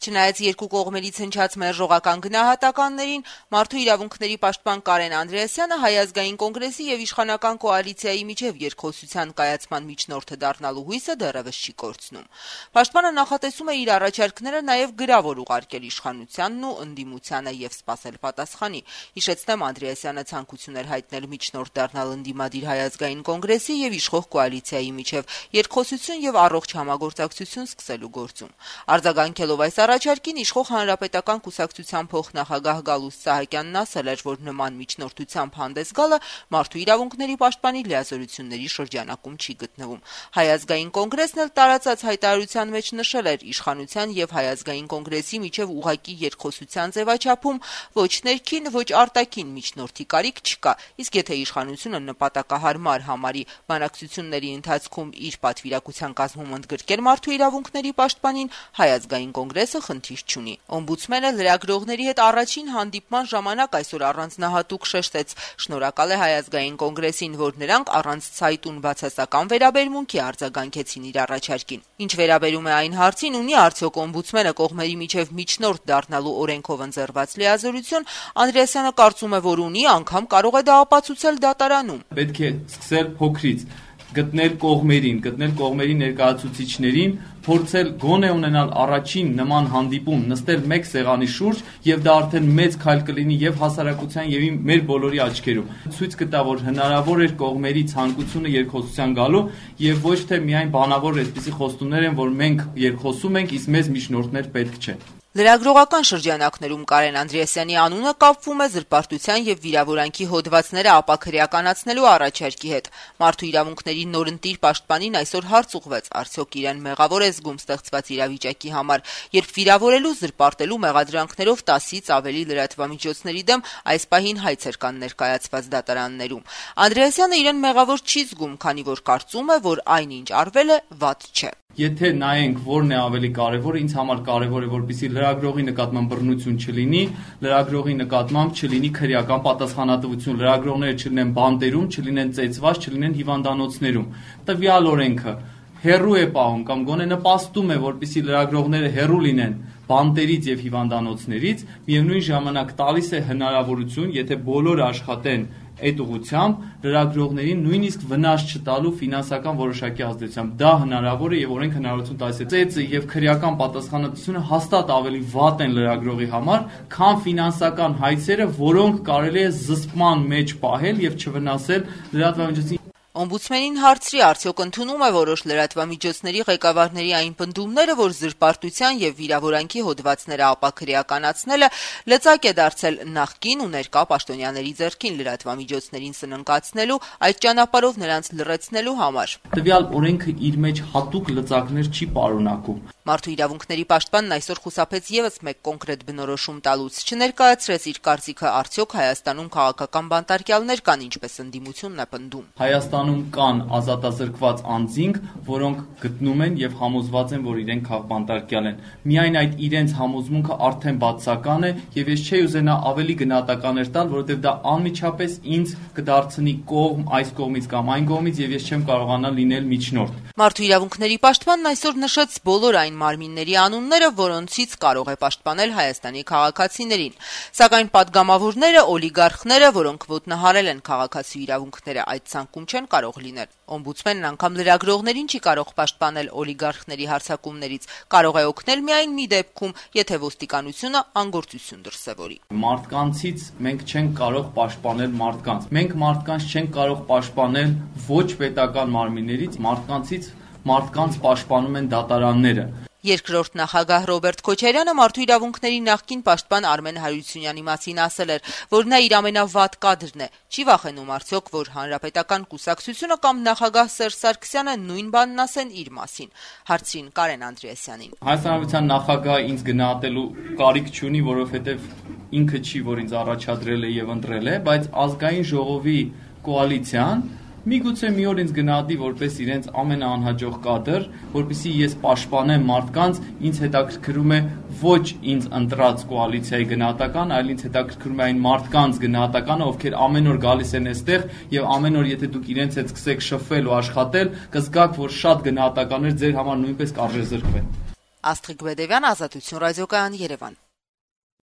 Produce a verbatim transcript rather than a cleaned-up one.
Չնայած երկու կողմերից հնչած մերժողական գնահատականներին, Մարդու իրավունքների պաշտպան Կարեն Անդրեասյանը Հայ ազգային կոնգրեսի եւ իշխանական կոալիցիայի միջև երկխոսության կայացման միջնորդը դառնալու հույսը դեռևս չի կորցնում։ Պաշտպանը նախատեսում է իր առաջարկները նաեւ գրավոր ուղարկել իշխանությանն ու ընդդիմությանը եւ սպասել պատասխանի։ Հիշեցնեմ, Անդրեասյանը ցանկություն էր հայտնել միջնորդ դառնալ ընդդիմադիր Հայ ազգային կոնգրեսի եւ իշխող կոալիցիայի միջև երկխոսություն եւ առողջ համագործակցություն սկսելու գործում։ Արձագանքելով այս առաջարկին, իշխող Հանրապետական կուսակցության փոխնախագահ Գալուստ Սահակյանն ասել էր, որ նման միջնորդությամբ հանդես գալը մարդու իրավունքների պաշտպանի լիազորությունների շրջանակում չի գտնվում։ Հայ ազգային կոնգրեսն էլ տարածած հայտարարության մեջ նշել էր իշխանության եւ Հայ ազգային կոնգրեսի միջև ուղղակի երկխոսության ձևաչափում ոչ ներքին, ոչ արտաքին միջնորդի կարիք չկա, իսկ եթե իշխանությունը նպատակահարմար համարի բանակցությունների ընթացքում իր պատվիրակության կազմում ընդգրկել մարդու իրավունքների պաշտպանին, Հայ ազգային կոնգրեսը խնդիր չունի։ Օմբուդսմենը լրագրողների հետ առաջին հանդիպման ժամանակ այսօր առանձնահատուկ շեշտեց. շնորհակալ է Հայ ազգային կոնգրեսին, որ նրանք առանց ցայտուն բացասական վերաբերմունքի արձագանքեցին իր առաջարկին։ Ինչ վերաբերում է այն հարցին, ունի արդյոք օմբուդսմենը կողմերի միջև միջնորդ դառնալու օրենքով ընձեռված լիազորություն, Անդրեասյանը կարծում է, որ ունի, անգամ կարող է դա ապացուցել դատարանում։ Պետք է սկսել փոքրից, գտնել կողմերին, գտնել կողմերի ներկայացուցիչներին, փորձել գոնե ունենալ առաջին նման հանդիպում, նստել մեկ սեղանի շուրջ եւ դա արդեն մեծ քայլ կլինի եւ հասարակության եւ մեր բոլորի աչքերում։ Ցույց կտա, որ հնարավոր էր կողմերի ցանկությունը երկխոսության գալու եւ ոչ թե միայն բանավոր այսպիսի խոստումներ են, որ մենք երկխոսում ենք, իսկ մեզ միջնորդներ պետք չեն։ Լրագրողական շրջանակներում Կարեն Անդրեասյանի անունը կապվում է զրպարտության եւ վիրավորանքի հոդվածները ապաքրեականացնելու առաջարկի հետ։ Մարդու իրավունքների նորընտիր պաշտպանին այսօր հարց ուղղվեց, արդյոք իրեն մեղավոր է զգում ստեղծված իրավիճակի համար, երբ վիրավորելու, զրպարտելու մեղադրանքներով տասից ավելի լրատվամիջոցների դեմ այս պահին հայցեր կան ներկայացված դատարաններում։ Անդրեասյանը իրեն մեղավոր չի զգում, քանի որ կարծում է, որ այնինչ արվել է վատ չէ։ Եթե նայենք որն է ավելի կարևորը, ինձ համար կարևոր է, որպեսզի լրագրողի նկատմամբ բռնություն չլինի, լրագրողի նկատմամբ չլինի քրեական պատասխանատվություն, լրագրողները չլինեն բանտերում, չլինեն ծեծված, չլինեն հիվանդանոցներում։ Տվյալ օրենքը հեռու է պահում կամ գոնե նպաստում է, որպեսզի լրագրողները հեռու լինեն բանտերից եւ հիվանդանոցներից, միևնույն ժամանակ տալիս է հնարավորություն, եթե բոլորը աշխատեն այդ ուղղությամբ, լրագրողներին նույնիսկ վնաս չտալու ֆինանսական որոշակի ազդեցությամբ։ Դա հնարավոր է եւ օրենք հնարավորություն տալիս է։ Ծեծը եւ քրեական պատասխանատվությունը հաստատ ավելի վատ են լրագրողի համար, քան ֆինանսական հայցերը, որոնք կարելի է զսպման մեջ պահել եւ չվնասել լրատվամիջոցին։ Օմբուդսմենին հարցրի, արդյոք ընդունում է որոշ լրատվամիջոցների ղեկավարների այն պնդումները, որ զրպարտության եւ վիրավորանքի հոդվածները ապաքրեականացնելը լծակ է դարձել նախկին ու ներկա պաշտոնյաների ձեռքին լրատվամիջոցներին սննկացնելու, այդ ճանապարհով նրանց լռեցնելու համար։ Տվյալ օրենքը իր մեջ հատուկ լծակներ չի պարունակում։ Մարդու իրավունքների պաշտպանն այսօր խուսափեց եւս մեկ կոնկրետ բնորոշում տալուց, չներկայացրեց իր կարծիքը, արդյոք Հայաստանում քաղաքական բանտարկյալներ կան, ինչպես ընդդիմությունն է պնդում։ Հայաստանում կան ազատազրկված անձինք, որոնք գտնում են եւ համոզված են, որ իրենք քաղբանտարկյալ են։ Միայն այդ իրենց համոզմունքը արդեն բացական է եւ ես չէի ուզենա ավելի գնահատականներ տալ, որովհետեւ դա անմիջապես ինձ կդարձնի կողմ այս կողմից կամ այն կողմից եւ ես չեմ կարողանա լինել միջնորդ։ Մարդու իրավունքների պաշտպանն այսօր նշեց բոլոր այն մարմինների անունները, որոնցից կարող է պաշտպանել Հայաստանի քաղաքացիներին։ Սակայն падգամավորները, օլիգարխները, որոնք ոտնահարել են քաղաքացու իրավունքները, այդ ցանկում չեն կարող լինել։ Օմբուդսմենն անգամ լրագրողներին չի կարող պաշտպանել օլիգարխների հարձակումներից, կարող է օգնել միայն մի դեպքում, եթե ոստիկանությունը անգործություն դրսևորի։ Մարդկանցից մենք չենք կարող պաշտպանել մարդկանց։ Մենք մարդկանց չենք կարող պաշտպանել ոչ պետական մարմիններից, մարդկանցից մարդկանց պաշտպանում են դատարանները։ Երկրորդ նախագահ Ռոբերտ Քոչարյանը մարդու իրավունքների նախկին պաշտպան Արմեն Հարությունյանի մասին ասել էր, որ նա իր ամենավատ կադրն է։ Չի վախենում արդյոք, որ Հանրապետական կուսակցությունը կամ նախագահ Սերժ Սարգսյանը նույն բանն ասեն իր մասին։ Հարցրին Կարեն Անդրեասյանին։ Հայաստանի Հանրապետության նախագահը ինձ գնահատելու կարիք չունի, որովհետև ինքը չի, որ ինձ առաջադրել է եւ ընտրել է, բայց ազգային ժողովի կոալիցիան միգուցե մի օր ինձ գնահատի որպես իրենց ամենաանհաջող կադր, որպեսզի ես պաշտպանեմ մարդկանց, ինձ հետաքրքրում է ոչ ինձ ընտրած կոալիցիայի գնահատական, այլ ինձ հետաքրքրում է այն մարդկանց գնահատականը, ովքեր ամեն օր գալիս են այստեղ եւ ամեն օր եթե դուք իրենց հետ սկսեք շփվել ու աշխատել, կզգաք, որ շատ գնահատականներ ձեր համար նույնպես կարժեզրկվեն։ Աստղիկ Բեդևյան, Ազատություն ռադիոկայան, Երևան։